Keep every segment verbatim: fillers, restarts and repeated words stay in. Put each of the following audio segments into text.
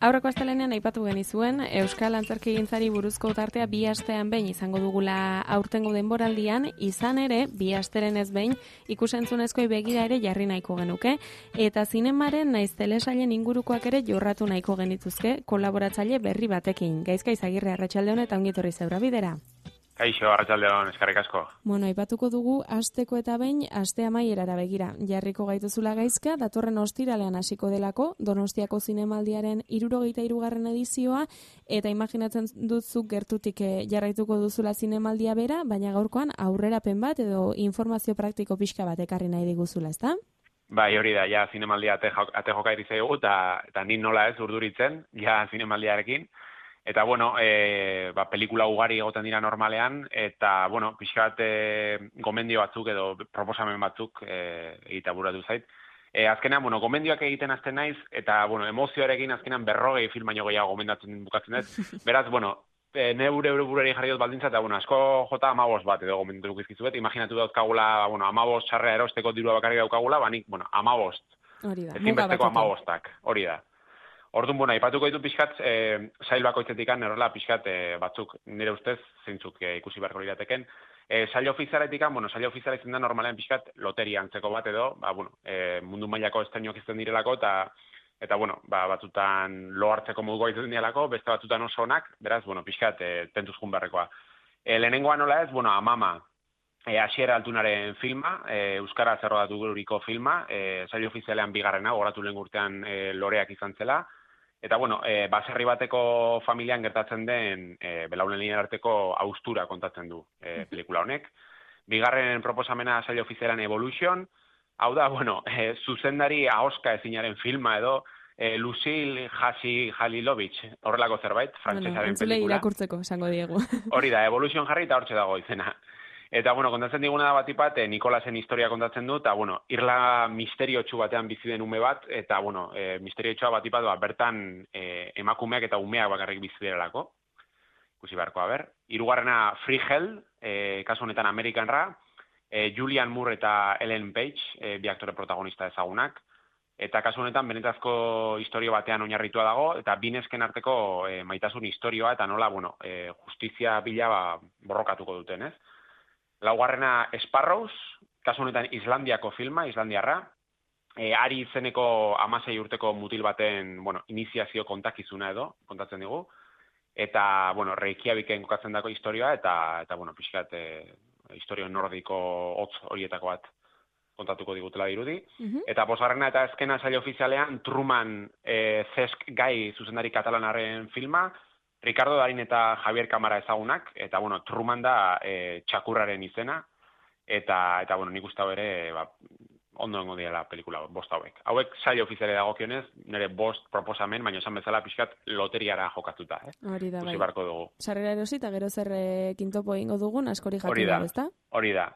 Aurreko astelehenean aipatu genizuen Euskal Antzerkigintzari buruzko tartea bi astean behin izango dugula aurtengo denboraldian, izan ere bi asteren ez behin ikusentzunezkoi begira ere jarri nahiko genuke, eta zinemaren naiz telesailen ingurukoak ere jorratu nahiko genituzke kolaboratzaile berri batekin. Gaizka Izagirre, arratsalde on eta ongi etorri zeura bidera. Kaixo, arratsalde on, eskerrik asko. Bueno, aipatuko dugu asteko eta behin aste amaierara begira. Jarriko gaituzula Gaizka, datorren ostiralean hasiko delako Donostiako Zinemaldiaren hirurogeita hirugarren edizioa, eta imaginatzen dutzuk gertutik jarraituko duzula zinemaldia bera, baina gaurkoan aurrerapen bat edo informazio praktiko pixka bat ekarri nahi diguzula, ezta? Bai, hori da, ja zinemaldia ate, ate joka irizaigu, eta, eta nin nola ez urduritzen, ja zinemaldiarekin. Eta, bueno, e, ba, pelikula ugari egoten dira normalean, eta, bueno, pixkat e, gomendio batzuk edo proposamen batzuk e, egitea buratu zait. E, azkenean, bueno, gomendioak egiten azten naiz, eta, bueno, emozioarekin azkenean berrogei film baino gehiago gomendatzen bukatzen dut. Beraz, bueno, e, neure burari jarri dut baldintza, eta, bueno, asko jota amabos bat edo gomendatu izkizuet. Imaginatu dauzkagula, bueno, amabos sarrea erosteko dirua bakarrik daukagula, banik, bueno, amabost. Hori da, ezinbesteko amabostak, hori da. Orduan, bueno, aipatuko ditu pixkat, e, sail bakoitzetik errela pixkat e, batzuk nire ustez zeintzuk e, ikusi beharko lirateken. E, sail ofizialetik, bueno, sail ofiziala izan da normalean pixkat loteria antzeko bat edo, ba, bueno, e, mundu mailako estreinoak izten direlako, eta, eta bueno, ba, batzutan lo hartzeko moduko izan direlako, beste batzutan oso onak, beraz, bueno, pixkat e, tentuz jun beharrekoa. E, lehenengoa nola ez, bueno, Amama, e, Asiera Altunaren filma, e, Euskara zerrodatu guriko filma, e, sail ofizialean bigarrena, goratu lehen urtean e, loreak izan zela. Eta, bueno, e, baserri bateko familian gertatzen den e, belaunen arteko haustura kontatzen du e, pelikula honek. Bigarren proposamena sail ofizialan Evolution. Hau da, bueno, e, zuzendari ahoska ezinaren filma edo e, Lucille Halilovic, horrelako zerbait, frantsesaren bueno, pelikula. Irakurtzeko, esango diegu. Hori da, Evolution jarri eta hortxe dago izena. Eta, bueno, kontatzen diguna da batipat, eh, Nikolasen historia kontatzen du, eta, bueno, irla misteriotsu batean bizi den ume bat, eta, bueno, e, misteriotxua batipat, ba, bertan e, emakumeak eta umeak bakarrik bizi direlako. Ikusi beharko, ber. Hirugarrena Free Hell, e, kasu honetan Amerikanra, e, Julian Moore eta Ellen Page, e, bi aktore protagonista ezagunak, eta kasu honetan benetazko historio batean oinarritua dago, eta binesken arteko e, maitasun historioa, eta nola, bueno, e, justizia bila ba, borrokatuko duten, ez? Laugarrena Sparrows, kasu honetan Islandiako filma, Islandiarra, e, ari izeneko hamasei urteko mutil baten, bueno, iniziazio kontakizuna edo, kontatzen digu, eta, bueno, Reykjaviken kokatzen dako historioa, eta, eta bueno, pixkat, e, historio nordiko hotz horietako bat kontatuko digutela dirudi. Uh-huh. Eta bosgarrena eta azkena sail ofizialean Truman e, Zesk Gai zuzendari katalanaren filma, Ricardo Darin eta Javier Kamara ezagunak, eta, bueno, Truman da e, txakurraren izena, eta, eta bueno, nik uste hau ere, ba, ondo dengo diela pelikula, bost hauek. Hauek sail ofiziale dagokionez, nire bost proposamen, baina esan bezala pixkat loteriara jokatuta, eh? Hori da, bai. Dugu. Sarrera erosi eta gero zer kintopo egingo dugun, askori jakin dago, ezta? Hori da.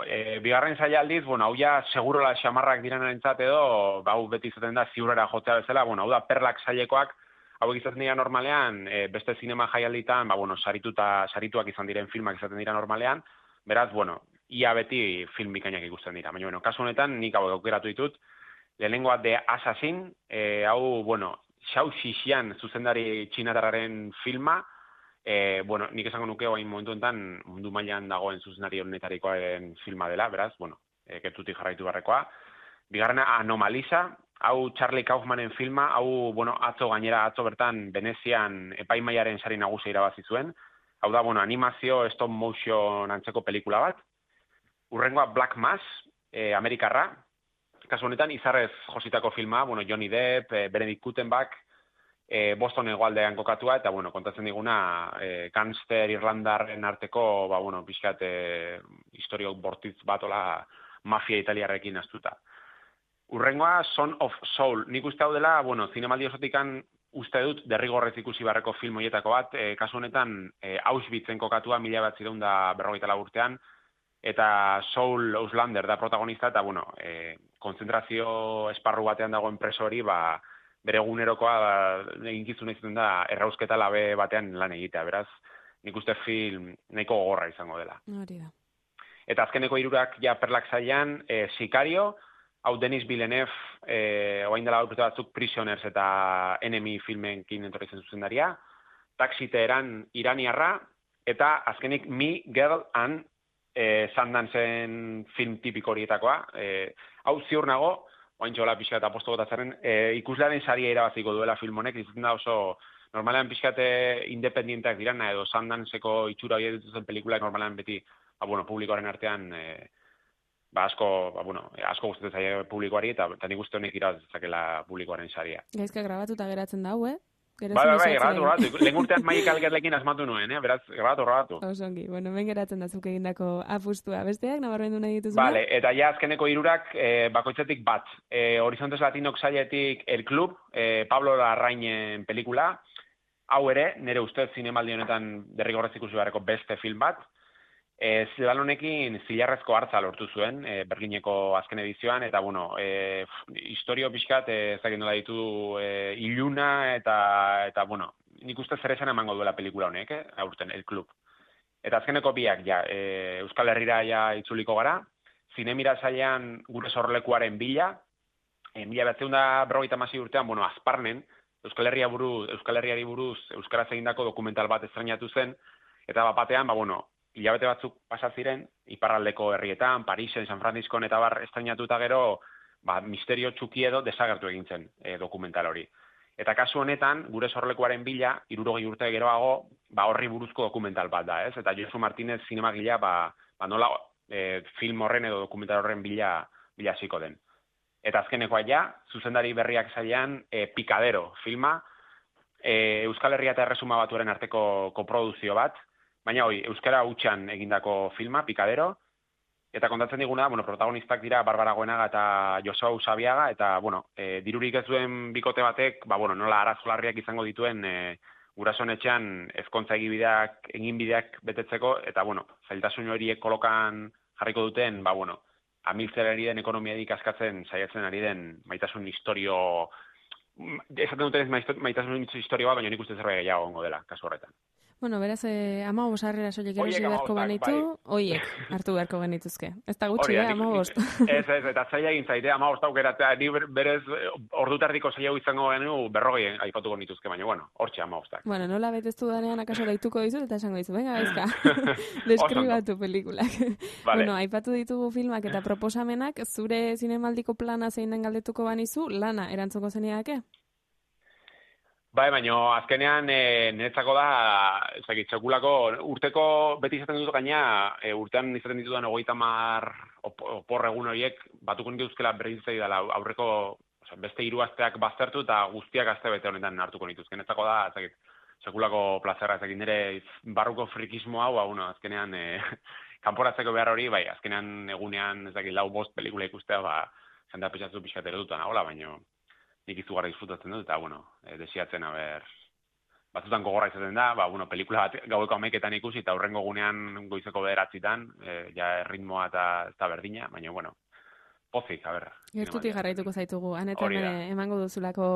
E, bigarren saila aldiz, bueno, hau ja segurola xamarrak direnarentzat edo, hau beti izaten da ziurrera jotzea bezala, bueno, hau da perlak sailekoak, hauek izaten dira normalean, e, beste zinema jaialditan, ba, bueno, sarituta, sarituak izan diren filmak izaten dira normalean, beraz, bueno, ia beti film bikainak ikusten dira. Baina, bueno, kasu honetan, nik hau aukeratu ditut, lehenengoa The Assassin, e, hau, bueno, Xiao Xixian zuzendari txinatarraren filma, e, bueno, nik esango nuke oain momentu enten mundu mailan dagoen zuzendari honetarikoaren filma dela, beraz, bueno, e, gertutik jarraitu barrekoa. Bigarrena Anomalisa, hau Charlie Kaufmanen filma, hau, bueno, atzo gainera, atzo bertan Venezian epaimaiaren sari nagusia irabazi zuen. Hau da, bueno, animazio stop motion antzeko pelikula bat. Urrengoa Black Mass, eh, Amerikarra. Kasu honetan, izarrez jositako filma, bueno, Johnny Depp, eh, Benedict Cumberbatch, eh, Boston hegoaldean kokatua, eta, bueno, kontatzen diguna, eh, gangster irlandarren arteko, ba, bueno, pixkat, eh, historio bortitz batola mafia italiarrekin astuta. Urrengoa, Son of Soul. Nik uste hau dela, bueno, zinemaldi osotikan uste dut derrigorrez ikusi barreko film hoietako bat, e, kasu honetan e, Auschwitzen kokatua mila bat zireun da berrogeita lau urtean, eta Saul Auslander da protagonista, eta, bueno, e, konzentrazio esparru batean dagoen preso hori, ba, bere egunerokoa ba, eginkizun egiten da errausketa labe batean lan egitea, beraz, nik uste film nahiko gogorra izango dela. Hori da. Eta azkeneko hirurak ja perlak zailan, e, Sicario, hau Denis Villeneuve, eh, oain dela urte batzuk Prisoners eta Enemy filmenkin entorri zen zuzendaria, Taxi Teheran iraniarra, eta azkenik Me, Girl and eh, Sundance-en film tipiko horietakoa. Eh, hau ziur nago, oain txola pixka eta posto gotatzaren, eh, ikuslearen saria irabaziko duela film honek, izaten da oso normalean pixkate independienteak dirana, edo Sundance-eko itxura hori dituzten pelikulak normalean beti, ba, bueno, publikoaren artean, eh, ba, asko, ba, bueno, asko gustatzen zaie publikoari, eta, eta nik uste honek irabaz dezakela publikoaren saria. Gaizka grabatuta geratzen da, hue? Bai, bai, bai, grabatu, grabatu. Lehen urtean Maik Algerlekin asmatu nuen, eh? Beraz, grabatu, grabatu. Osongi, bueno, ben geratzen da zuk egindako apustua. Besteak, nabarmendu nahi dituzuna? Vale, eta ja azkeneko hirurak eh, bakoitzetik bat. Eh, Horizontes Latinok sailetik El Club, eh, Pablo Larrainen pelikula. Hau ere, nire ustez zinemaldi honetan derrigorrez ikusi beharreko beste film bat. E, Zidan honekin zilarrezko hartza lortu zuen, e, Berlineko azken edizioan, eta, bueno, e, historio pixkat, e, ezagin nola ditu, e, iluna, eta, eta, bueno, nik uste zer esan emango duela pelikula honek, eh? Aurten, El Club. Eta azkeneko biak, ja, e, Euskal Herrira ja itzuliko gara, zinemira zailean gure sorlekuaren bila, e, mila batzeun da berrogeita hamasei urtean, bueno, Azparnen, Euskal Herria buruz, Euskal Herriari buruz euskaraz egindako dokumental bat estreinatu zen, eta bat batean, ba, bueno, hilabete batzuk pasa ziren, iparraldeko herrietan, Parisen, San Franciscon eta bar estreinatuta gero, ba, misterio txuki edo desagertu egin zen e, dokumental hori. Eta kasu honetan, gure sorlekuaren bila, hirurogei urte geroago, ba, horri buruzko dokumental bat da, ez? Eta Josu Martinez zinemagilea, ba, ba nola e, film horren edo dokumental horren bila, bila hasiko den. Eta azkenekoa ja, zuzendari berriak zailean, e, Pikadero filma, e, Euskal Herria eta Erresuma Batuaren arteko koproduzio bat, baina hoi, euskara hutsan egindako filma, Pikadero, eta kontatzen diguna, bueno, protagonistak dira Barbara Goenaga eta Josua Usabiaga, eta, bueno, e, dirurik ez duen bikote batek, ba, bueno, nola arazolarriak izango dituen e, gurasoen etxean ezkontza egibideak, eginbideak betetzeko, eta, bueno, zailtasun horiek kolokan jarriko duten, ba, bueno, amiltzen ari den ekonomiadik askatzen saiatzen ari den maitasun historio, esaten duten ez maitasun historio bat, baina nik uste zerbait gehiago ongo dela, kasu horretan. Bueno, beraz, eh, ama bosarrera soilik erosi beharko banitu, oiek hartu beharko genituzke. Ez da gutxi, eh, ama bost. Ez, ez, eta zaila egin zaite, ama bost aukeratzea, ni berez ordutardiko zaila izango genu berrogei aipatuko nituzke, baina, bueno, hortxe ama bostak. Bueno, nola beteztu danean akaso daituko dizut, eta esango dizu, venga, bezka, deskribatu pelikulak. Vale. Bueno, aipatu ditugu filmak eta proposamenak, zure zinemaldiko plana zein den galdetuko banizu, lana erantzuko zeniake? Bai, baina azkenean e, niretzako da, ezagit, txekulako, urteko beti izaten dut gaina, e, urtean izaten ditudan hogeita hamar opor egun horiek, batuko nituzkela berrizitzei dela aurreko, oza, beste hiru asteak baztertu eta guztiak aste bete honetan hartuko nituzken. Niretzako da, ezagit, txekulako plazera, ezagit, nire barruko frikismo hau, bueno, azkenean, e, kanporatzeko behar hori, bai, azkenean egunean, ezagit, lau bost pelikula ikustea, ba, jendea pixatzu pixatero dutan, hola, baina nik izugarra disfrutatzen dut, eta, bueno, e, desiatzen, haber, batzutan gogorra izaten da, ba, bueno, pelikula bat gaueko amaiketan ikusi, eta hurrengo gunean goizeko bederatzitan, e, ja ritmoa eta ez da berdina, baina, bueno, pozik, a ber. Gertutik jarraituko zaitugu, anetan emango duzulako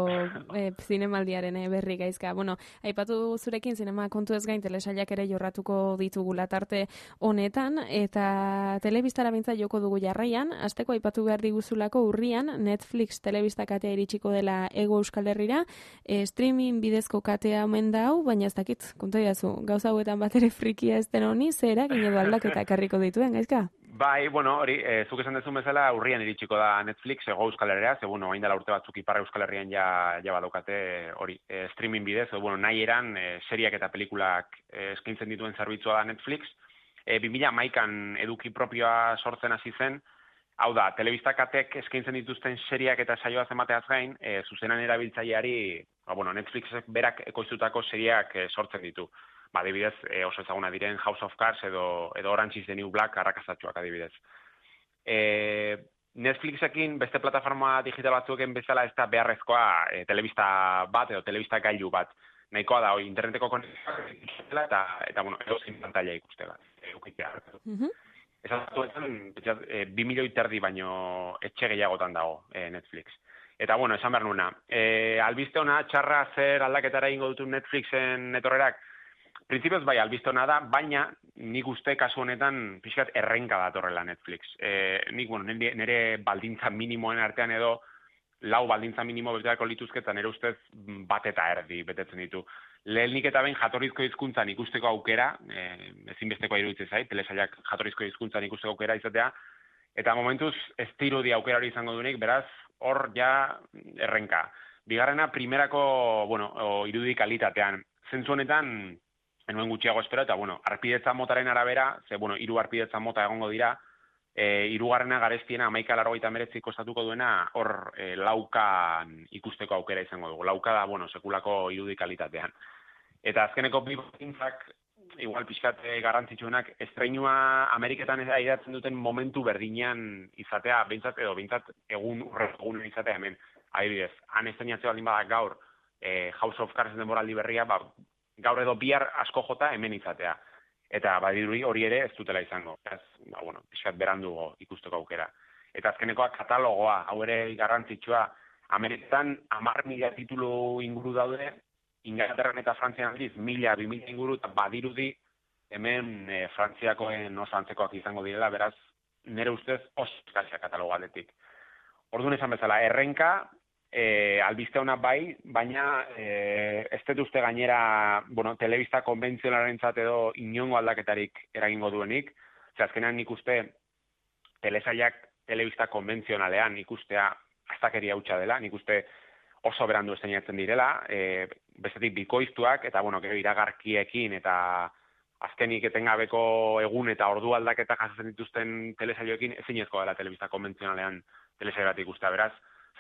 e, zinemaldiaren e, berri gaizka. Bueno, aipatu zurekin zinema kontu ez gain telesailak ere jorratuko ditugula tarte honetan, eta telebistara bintza joko dugu jarraian, asteko aipatu behar diguzulako urrian, Netflix telebista katea iritsiko dela Ego Euskal Herrira, e, streaming bidezko katea omen da hau, baina ez dakit, konta jazu, gauza hauetan bat ere frikia ez den honi, zera, ginedo aldaketa ekarriko dituen, gaizka? Bai, bueno, hori, e, zuk esan dezun bezala, urrian iritsiko da Netflix, Ego Euskal Herria, ze, bueno, hain dela urte batzuk Ipar Euskal Herrian ja, ja badaukate hori, e, streaming bidez, edo, bueno, nahi eran, e, seriak eta pelikulak e, eskaintzen dituen zerbitzua da Netflix. E, bi mila hamaikan eduki propioa sortzen hasi zen, hau da, telebistakatek eskaintzen dituzten seriak eta saioa emateaz gain, e, zuzenan erabiltzaileari, ba, bueno, Netflixek berak ekoiztutako seriak e, sortzen ditu. Ba, adibidez, e, oso ezaguna diren House of Cards edo, edo Orange is the New Black arrakazatxoak adibidez. E, Netflixekin beste plataforma digital batzueken bezala ez da beharrezkoa e, telebista bat edo telebista gailu bat. Nahikoa da, hoi, interneteko konexioak eta, eta bueno, edozein pantalla ikustela. Eukitea. Mm-hmm. Ez atuetan, e, bi milioi terdi baino etxe gehiagotan dago e, Netflix. Eta, bueno, esan behar nuna. E, albiste hona, txarra zer aldaketara ingo dutu Netflixen etorrerak, Printzipioz bai, albistona da, baina nik uste kasu honetan pixkat errenka datorrela Netflix. E, nik, bueno, nire, nire baldintza minimoen artean edo lau baldintza minimo beteako lituzke, eta nire ustez bat eta erdi betetzen ditu. Lehenik eta behin jatorrizko hizkuntzan ikusteko aukera, e, ezinbesteko iruditzen zait, telesailak jatorrizko hizkuntzan ikusteko aukera izatea, eta momentuz ez dirudi aukera hori izango duenik, beraz, hor ja errenka. Bigarrena, primerako, bueno, irudi kalitatean. Zentzu honetan, enuen gutxiago espero, eta, bueno, arpidetza motaren arabera, ze, bueno, hiru arpidetza mota egongo dira, e, hirugarrena garestiena amaika largoita meretzi kostatuko duena, hor e, laukan ikusteko aukera izango dugu. Lauka da, bueno, sekulako irudi kalitatean. Eta azkeneko bi batintzak, igual pixkat garrantzitsuenak, estreinua Ameriketan aidatzen duten momentu berdinean izatea, behintzat edo, behintzat egun urregunen izatea hemen. Adibidez, han estreinatzea baldin badak gaur, e, House of Cards denboraldi berria, ba, gaur edo bihar asko jota hemen izatea. Eta badiruri hori ere ez dutela izango. Ez, ba, bueno, pixkat berandugo ikusteko aukera. Eta azkenekoa katalogoa, hau ere garrantzitsua, Ameriketan hamar mila titulu inguru daude, Inglaterran eta Frantzian aldiz, mila, bi mila inguru, eta badirudi hemen e, Frantziakoen oso antzekoak izango direla, beraz, nire ustez oso eskazia katalogo aldetik. Orduan esan bezala, errenka, e, albiste hona bai, baina e, ez dut uste gainera, bueno, telebista konbentzionalarentzat edo inongo aldaketarik eragingo duenik, ze azkenean nik uste telesailak telebista konbentzionalean ikustea astakeria hutsa dela, nik uste oso berandu estreinatzen direla, e, bestetik bikoiztuak, eta bueno, gero iragarkiekin, eta azkenik etengabeko egun eta ordu aldaketa jasotzen dituzten telesailoekin ezinezko dela telebista konbentzionalean telesail bat ikustea, beraz,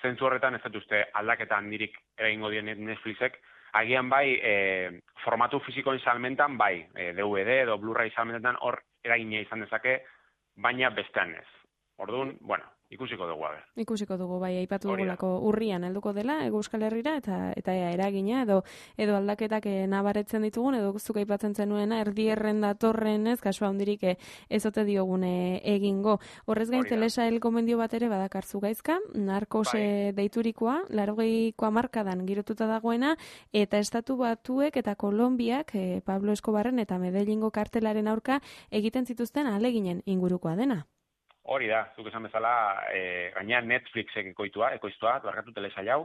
zentzu horretan ez dut uste aldaketa handirik eragingo dien Netflixek, agian bai, e, formatu fisikoen salmentan, bai, e, D V D edo Blu-ray salmentan hor eragina izan dezake, baina bestean ez. Orduan, bueno, ikusiko dugu, aber. Ikusiko dugu, bai, aipatu dugulako urrian helduko dela, Hego Euskal Herrira, eta eta ea, eragina, edo edo aldaketak nabaretzen ditugun, edo zuk aipatzen zenuena, erdierren datorren ez, kasua handirik ezote diogune egingo. Horrez gain, telesail gomendio bat ere badakarzu gaizka, Narkos bai. Deiturikoa, laurogeiko hamarkadan girotuta dagoena, eta Estatu Batuek eta Kolonbiak, eh, Pablo Escobarren eta Medellingo kartelaren aurka egiten zituzten ahaleginen ingurukoa dena. Hori da, zuk esan bezala, e, gaina Netflixek ekoitua, ekoiztua, barkatu telesail hau,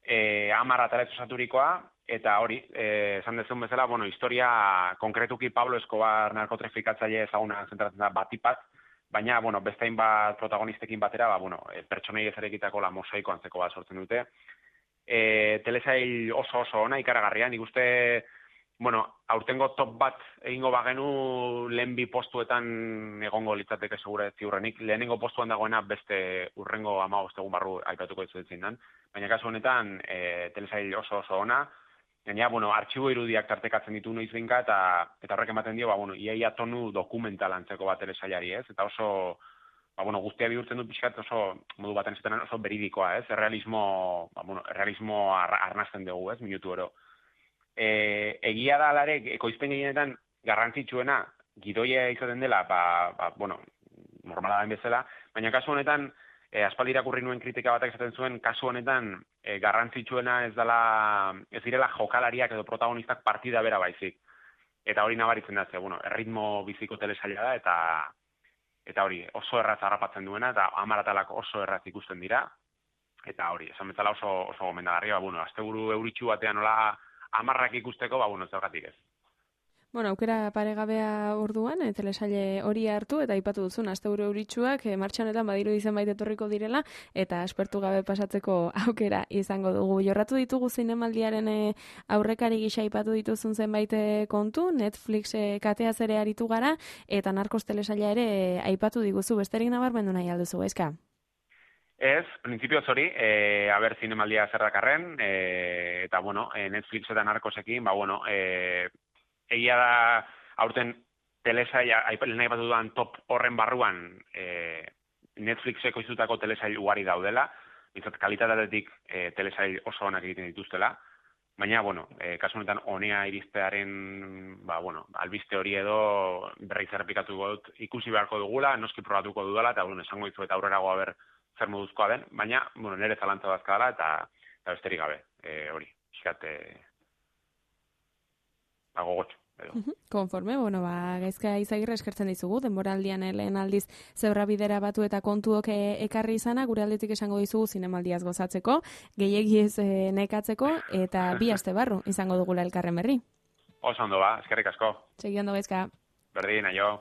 e, hamar ataletzu saturikoa, eta hori, e, esan dezun bezala, bueno, historia konkretuki Pablo Escobar narkotrafikatzaile ezaguna zentratzen da batipat, baina, bueno, bestein bat protagonistekin batera, ba, bueno, e, pertsonei ezarekitako la mosaiko antzeko bat sortzen dute. E, telesail oso oso ona, ikaragarria, nik uste, bueno, aurtengo top bat egingo bagenu lehen bi postuetan egongo litzateke segura ziurrenik. Lehenengo postuan dagoena beste urrengo hamabost egun barru aipatuko dizuetzen dan. Baina kasu honetan e, telesail oso oso ona. Gaina, bueno, artxibo irudiak tartekatzen ditu noiz behinka eta eta horrek ematen dio, ba, bueno, iaia tonu dokumental antzeko bat telesailari, ez? Eta oso, ba, bueno, guztia bihurtzen du pixkat oso modu baten esaten oso beridikoa, ez? Errealismo, ba, bueno, errealismo ar, arnazten dugu, ez? Minutu oro. E, egia da alare, ekoizpen gehienetan garrantzitsuena gidoia izaten dela, ba, ba, bueno, normala da bezala, baina kasu honetan, e, aspaldi irakurri nuen kritika batak esaten zuen, kasu honetan e, garrantzitsuena ez dela, ez direla jokalariak edo protagonistak partida bera baizik. Eta hori nabaritzen da, ze, bueno, erritmo biziko telesaila da, eta eta hori oso erraz harrapatzen duena, eta amaratalak oso erraz ikusten dira, eta hori, esan bezala oso, oso gomendagarria, ba, bueno, asteburu euritxu batean nola amarrak ikusteko, ba, bueno, zergatik ez. Bueno, aukera paregabea orduan, e, telesaile hori hartu, eta aipatu duzun, asteburu euritsuak, e, martxa honetan badiru zenbait etorriko direla, eta aspertu gabe pasatzeko aukera izango dugu. Jorratu ditugu zinemaldiaren e, aurrekari gisa aipatu dituzun zenbait kontu, Netflix e, kateaz ere aritu gara, eta Narkos telesaila ere e, aipatu diguzu, besterik nabarmendu nahi alduzu, eska? Ez, printzipioz hori, e, aber zinemaldia zerrakarren, e, eta, bueno, e, Netflix eta Narkosekin, ba, bueno, e, egia da, aurten telesail, lehen nahi bat dudan top horren barruan, e, Netflixeko izutako telesail ugari daudela, bizat kalitatetik e, telesail oso onak egiten dituztela, baina, bueno, e, kasu honetan honea iristearen, ba, bueno, albiste hori edo berriz errepikatuko dut, ikusi beharko dugula, noski probatuko dudala, eta, bueno, esango ditu eta aurrerago haber zer moduzkoa den, baina, bueno, nire zalantza dazka eta, eta besterik gabe, e, hori, iskat, e, ba, gogotxo. edo. Konforme, bueno, ba, Gaizka Izagirre eskertzen dizugu, denboraldian lehen aldiz zebra bidera batu eta kontuok ekarri izana, gure aldetik esango dizugu zinemaldiaz gozatzeko, gehiegi ez e, nekatzeko, eta bi aste barru izango dugula elkarren berri. Oso ondo ba, eskerrik asko. Segi ondo Gaizka. Berdin, aio.